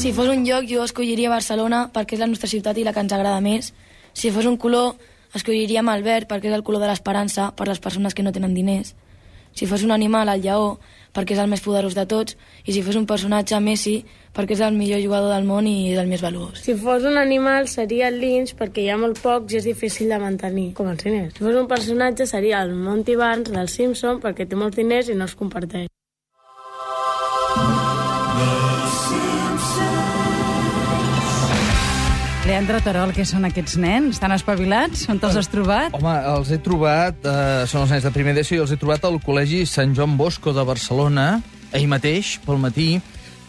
Si fos un lloc, jo escolliria Barcelona perquè és la nostra ciutat i la que ens agrada més. Si fos un color, escolliríem el verd perquè és el color de l'esperança per les persones que no tenen diners. Si fos un animal, el lleó, perquè és el més poderós de tots. I si fos un personatge, Messi, perquè és el millor jugador del món i és el més valuós. Si fos un animal, seria el linx, perquè hi ha molt pocs i és difícil de mantenir, com els diners. Si fos un personatge, seria el Monty Barnes del Simpson, perquè té molts diners i no els comparteix. Leandre Terol, què són aquests nens? Estan espavilats? On te'ls has trobat? Home, els he trobat, són els nens de primer d'ESO, i els he trobat al Col·legi Sant Joan Bosco de Barcelona, ahir mateix, pel matí,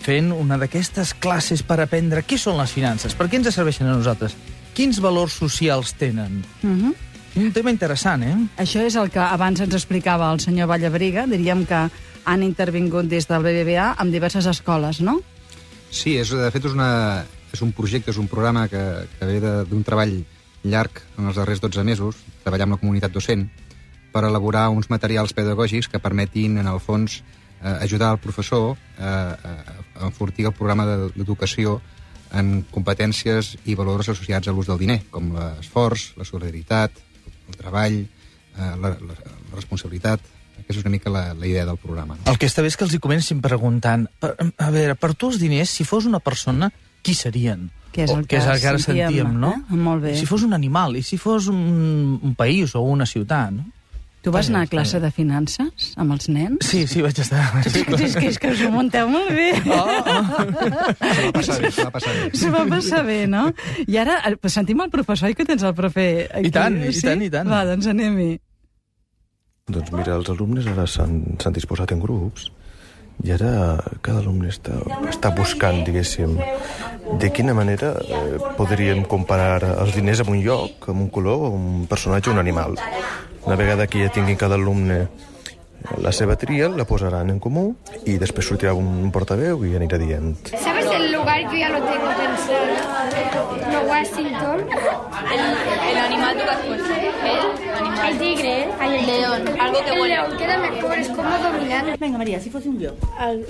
fent una d'aquestes classes per aprendre què són les finances, per què ens serveixen a nosaltres, quins valors socials tenen. Un tema interessant, eh? Això és el que abans ens explicava el senyor Vallabriga. Diríem que han intervingut des del BBVA amb diverses escoles, no? Sí, de fet és un projecte, és un programa que ve d'un treball llarg en els darrers 12 mesos, treballar amb la comunitat docent, per elaborar uns materials pedagògics que permetin, en el fons, ajudar el professor a enfortir el programa d'educació en competències i valors associats a l'ús del diner, com l'esforç, la solidaritat, el treball, la responsabilitat. Aquesta és una mica la idea del programa. El que està bé és que els hi comencin preguntant, a veure, per tu els diners, si fos una persona, qui serien? Que és el que ara sentíem, no? Molt bé. Si fos un animal, i si fos un país o una ciutat, no? Tu vas anar a classe de finances amb els nens? Sí, vaig estar. És que us ho munteu molt bé. Se va passar bé. Se va passar bé, no? I ara sentim el professor, i que tens el profe aquí. I tant. Va, doncs anem-hi. Doncs mira, els alumnes ara s'han disposat en grups i ara cada alumne està buscant, diguéssim, de quina manera podríem comparar els diners amb un lloc, amb un color, un personatge o un animal. Una vegada que ja tinguin cada alumne la seva tria, la posaran en comú y després sortirà un portaveu i anirà dient. ¿Sabes el lugar? Yo ya lo tengo pensado. No, Washington. El animal tú que has puesto. El tigre. El león. Algo que El huele. león queda mejor, es como dominar. Venga, Maria, si fos un lloc.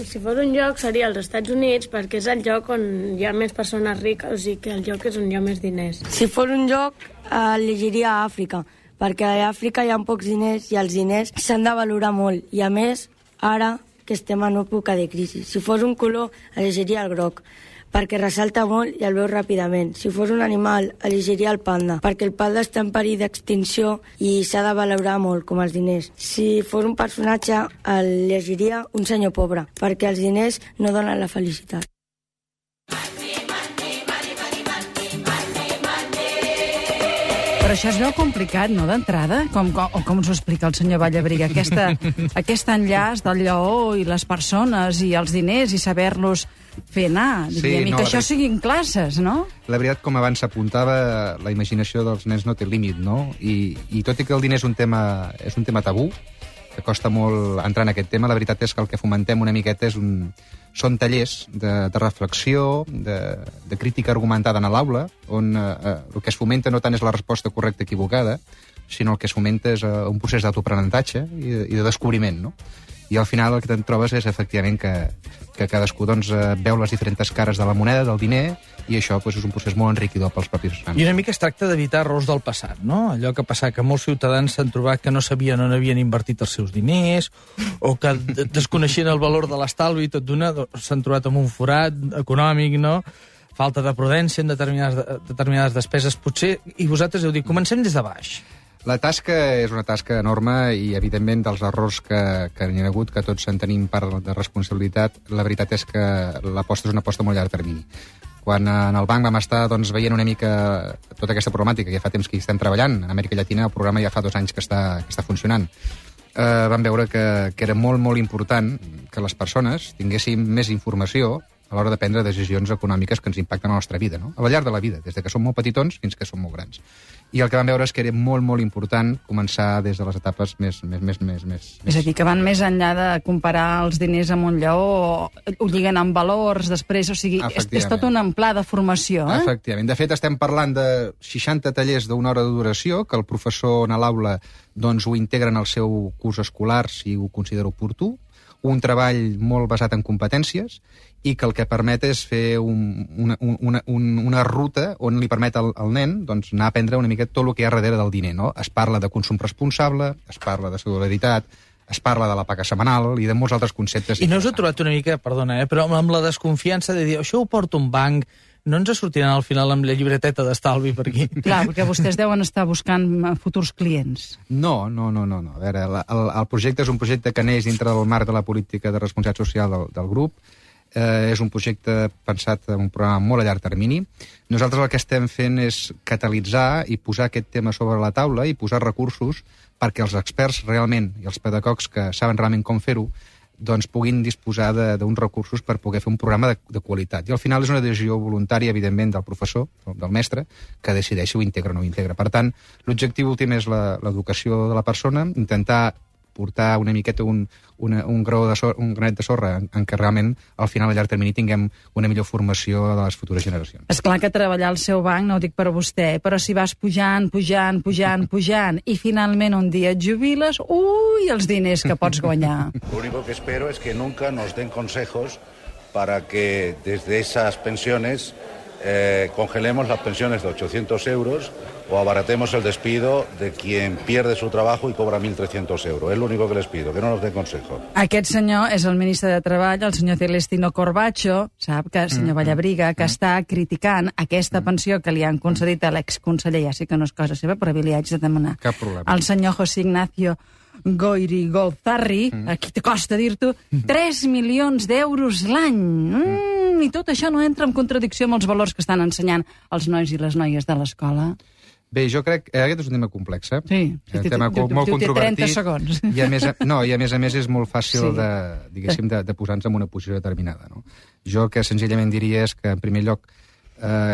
Si fos un lloc seria als Estats Units, perquè és el lloc on hi ha més persones riques, o sigui que el lloc és on hi ha més diners. Si fos un lloc, elegiria Àfrica, perquè a Àfrica hi ha pocs diners i els diners s'han de valorar molt. I a més, ara que estem en època de crisi, si fos un color, elegiria el groc, perquè ressalta molt i el veus ràpidament. Si fos un animal, elegiria el panda, perquè el panda està en perill d'extinció i s'ha de valorar molt, com els diners. Si fos un personatge, elegiria un senyor pobre, perquè els diners no donen la felicitat. Però això es veu complicat, no, d'entrada? Com ens ho explica el senyor Vallabriga? Aquest enllaç del lleó i les persones i els diners i saber-los fer anar. Diríem, i que això siguin classes, no? La veritat, com abans s'apuntava, la imaginació dels nens no té límit, no? I tot i que el diner és un tema tabú, que costa molt entrar en aquest tema, la veritat és que el que fomentem una miqueta són tallers de reflexió, de crítica argumentada en l'aula, on el que es fomenta no tant és la resposta correcta equivocada, sinó el que es fomenta és un procés d'autoaprenentatge i de descobriment, no? I al final el que te'n trobes és, efectivament, que cadascú veu les diferents cares de la moneda, del diner, i això és un procés molt enriquidor pels propis nens. I una mica es tracta d'evitar errors del passat, no? Allò que passa que molts ciutadans s'han trobat que no sabien on havien invertit els seus diners, o que desconeixien el valor de l'estalvi i tot d'una s'han trobat amb un forat econòmic, no? Falta de prudència en determinades despeses, potser, i vosaltres heu dit, comencem des de baix. La tasca és una tasca enorme i, evidentment, dels errors que hi ha hagut, que tots en tenim part de responsabilitat, la veritat és que l'aposta és una aposta molt llarg termini. Quan en el banc vam estar veient una mica tota aquesta problemàtica, que ja fa temps que hi estem treballant, en Amèrica Llatina el programa ja fa 2 anys que està funcionant, vam veure que era molt, molt important que les persones tinguessin més informació a l'hora de prendre decisions econòmiques que ens impacten a la nostra vida, no? Al llarg de la vida, des que som molt petitons fins que som molt grans. I el que vam veure és que era molt, molt important començar des de les etapes més... És a dir, que van més enllà de comparar els diners amb un lleó, ho lliguen amb valors, després, o sigui, és tot un pla de formació, eh? Efectivament. De fet, estem parlant de 60 tallers d'1 hora de duració, que el professor a l'aula ho integra en el seu curs escolar, si ho considera oportú, un treball molt basat en competències i que el que permet és fer una ruta on li permet al nen doncs, anar a aprendre una mica tot el que hi ha darrere del diner. No? Es parla de consum responsable, es parla de solidaritat, es parla de la paga setmanal i de molts altres conceptes. I no us heu trobat una mica, perdona, però amb la desconfiança de dir això ho porto un banc, no ens sortiran al final amb la llibreteta d'estalvi per aquí? Clar, perquè vostès deuen estar buscant futurs clients. No. A veure, el projecte és un projecte que neix dintre del marc de la política de responsabilitat social del grup. És un projecte pensat en un programa molt a llarg termini. Nosaltres el que estem fent és catalitzar i posar aquest tema sobre la taula i posar recursos perquè els experts realment i els pedagogs que saben realment com fer-ho doncs puguin disposar d'uns recursos per poder fer un programa de qualitat. I al final és una decisió voluntària, evidentment, del professor, del mestre, que decideix si ho integra o no ho integra. Per tant, l'objectiu últim és l'educació de la persona, intentar portar una miqueta un granet de sorra en què realment al final a llarg termini tinguem una millor formació de les futures generacions. És clar que treballar al seu banc, no ho dic per a vostè, però si vas pujant i finalment un dia et jubiles, els diners que pots guanyar. Lo único que espero es que nunca nos den consejos para que desde esas pensiones congelemos las pensiones de 800 euros o abaratemos el despido de quien pierde su trabajo y cobra 1.300 euros. Es lo único que les pido, que no nos den consejo. Aquest senyor és el ministre de Treball, el senyor Celestino Corbacho, sap que el senyor Vallabriga, que està criticant aquesta pensió que li han concedit a l'exconseller, ja sé que no és cosa seva, però li haig de demanar. Cap problema. El senyor José Ignacio Goiri Golzarri, aquí te costa dir-t'ho, 3 milions d'euros l'any. I tot això no entra en contradicció amb els valors que estan ensenyant els nois i les noies de l'escola? Bé, jo crec que aquest és un tema complex, Sí, un tema molt controvertit. 30 segons. I a més és molt fàcil de posar-nos en una posició determinada. No? Jo el que senzillament diria és que, en primer lloc,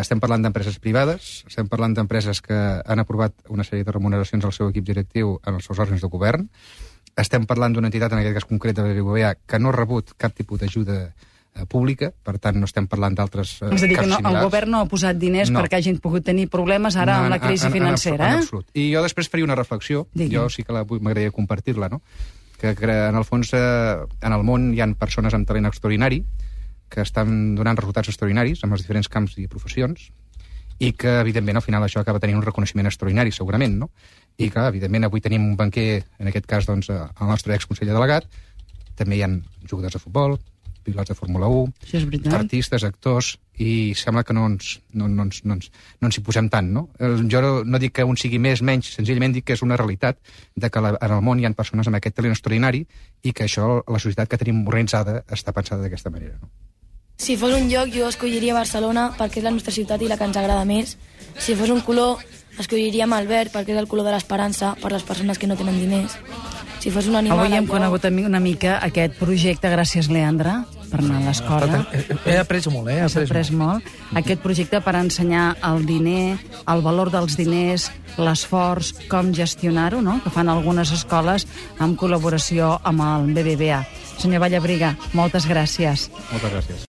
estem parlant d'empreses privades, estem parlant d'empreses que han aprovat una sèrie de remuneracions al seu equip directiu en els seus òrgans de govern, estem parlant d'una entitat, en aquest cas concret de la BBVA, que no ha rebut cap tipus d'ajuda pública, per tant no estem parlant d'altres casos similars. És a dir, que el govern no ha posat diners perquè hagin pogut tenir problemes ara amb la crisi financera. En absolut. I jo després faria una reflexió, jo sí que m'agradaria compartir-la, no? Que en el fons en el món hi ha persones amb talent extraordinari que estan donant resultats extraordinaris en els diferents camps i professions i que, evidentment, al final això acaba tenint un reconeixement extraordinari, segurament, no? I que, evidentment, avui tenim un banquer, en aquest cas, doncs, el nostre exconseller delegat, també hi ha jugadors de futbol, pilots de Fórmula 1, artistes, actors, i sembla que no ens hi posem tant, no? Jo no dic que un sigui més, menys, senzillament dic que és una realitat de que en el món hi ha persones amb aquest talent extraordinari i que això, la societat que tenim organitzada, està pensada d'aquesta manera, no? Si fos un lloc, jo escolliria Barcelona perquè és la nostra ciutat i la que ens agrada més. Si fos un color, escolliríem el verd perquè és el color de l'esperança per les persones que no tenen diners. Si fos un animal... Avui hem conegut una mica aquest projecte, gràcies, Leandre, per anar a l'escola. He après molt, Has après molt. Aquest projecte per ensenyar el diner, el valor dels diners, l'esforç, com gestionar-ho, no?, que fan algunes escoles en col·laboració amb el BBVA. Senyor Vallabriga, moltes gràcies. Moltes gràcies.